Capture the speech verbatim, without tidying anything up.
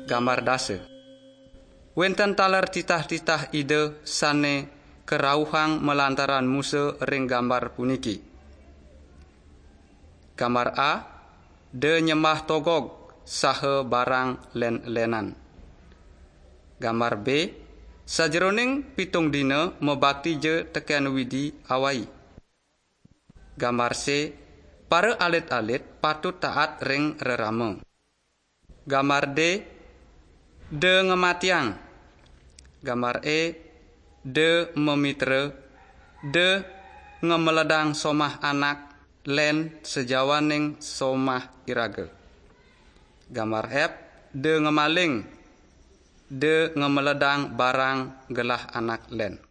Gambar dasa. Wenten taler titah-titah Ida sane kerauhang malantaran Musa ring gambar puniki. Gambar A, da nyembah togog saha barang len-lenan. Gambar B, sajeroning pitung dina mabakti ja teken Widi awai. Gambar C, para alit-alit patut taat ring rerama. Gambar D, da ngamatiang. Gambar E, da mamitra, da ngamaledang somah anak len sajawaning somah iraga. Gambar F, da ngamaling, da ngamaledang barang gelah anak len.